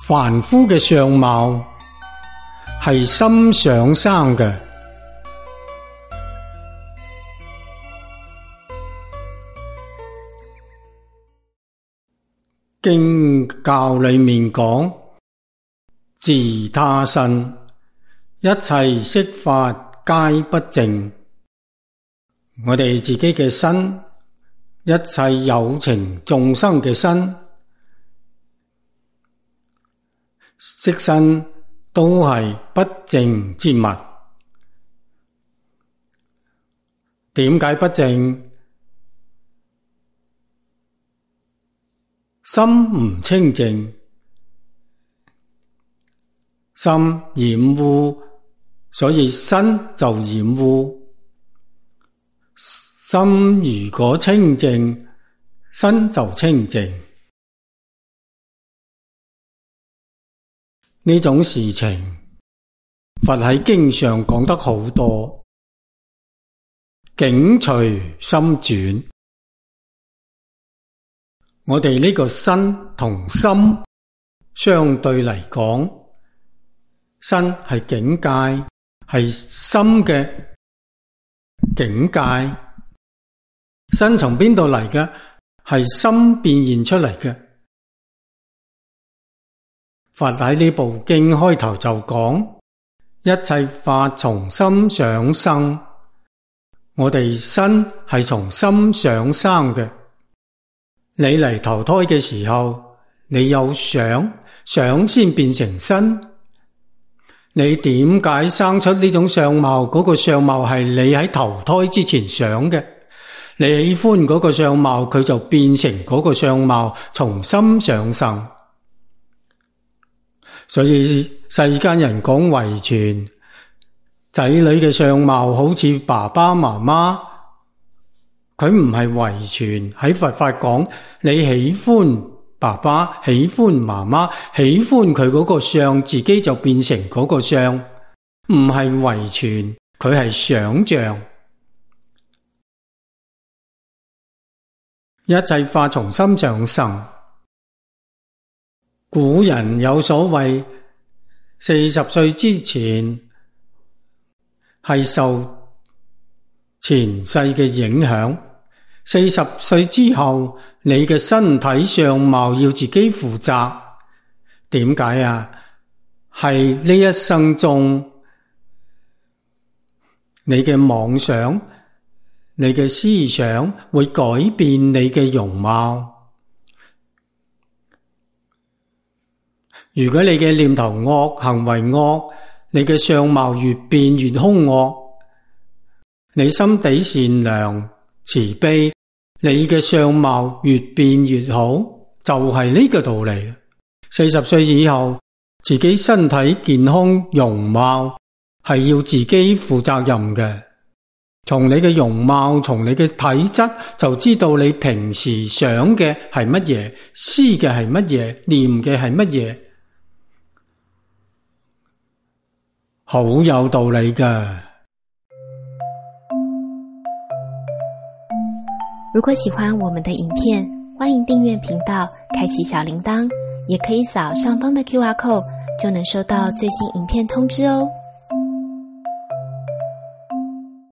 凡夫嘅相貌係心想生嘅。經教裏面講，自他身，一切色法皆不淨。我哋自己嘅身，一切有情眾生嘅身，色身都係不淨之物。點解不淨？心唔清淨，心染污，所以身就染污。心如果清淨，身就清淨。呢種事情，佛喺經上講得好多，境隨心轉。我哋呢個身同心相對嚟講，身係境界，係心嘅境界。身從邊度嚟嘅？係心變現出嚟嘅。佛喺呢部經開頭就講，一切法從心想生。我哋身係從心想生嘅。你嚟投胎嘅時候，你有想先變成身。你點解生出呢種相貌？嗰個相貌係你喺投胎之前想嘅。你喜歡嗰個相貌，佢就變成嗰個相貌，從心想生。所以世間人講遺傳，仔女嘅相貌好似爸爸媽媽，佢唔係遺傳。喺佛法講，你喜歡爸爸，喜歡媽媽，喜歡佢嗰個相，自己就變成嗰個相，唔係遺傳，佢係想象。一切法從心想生。古人有所謂，40歲之前係受前世嘅影響，40歲之後你嘅身體相貌要自己負責。點解啊？係呢一生中你嘅妄想，你嘅思想會改變你嘅容貌。如果你嘅念頭惡，行為惡，你嘅相貌越變越兇惡。你心地善良慈悲，你嘅相貌越變越好，就係呢個道理。40歲以後，自己身體健康容貌係要自己負責任嘅。從你嘅容貌，從你嘅體質，就知道你平時想嘅係乜嘢，思嘅係乜嘢，念嘅係乜嘢。好有道理㗎。如果喜歡我們的影片，歡迎訂閱頻道，開啟小鈴鐺，也可以掃上方的QR code，就能收到最新影片通知哦。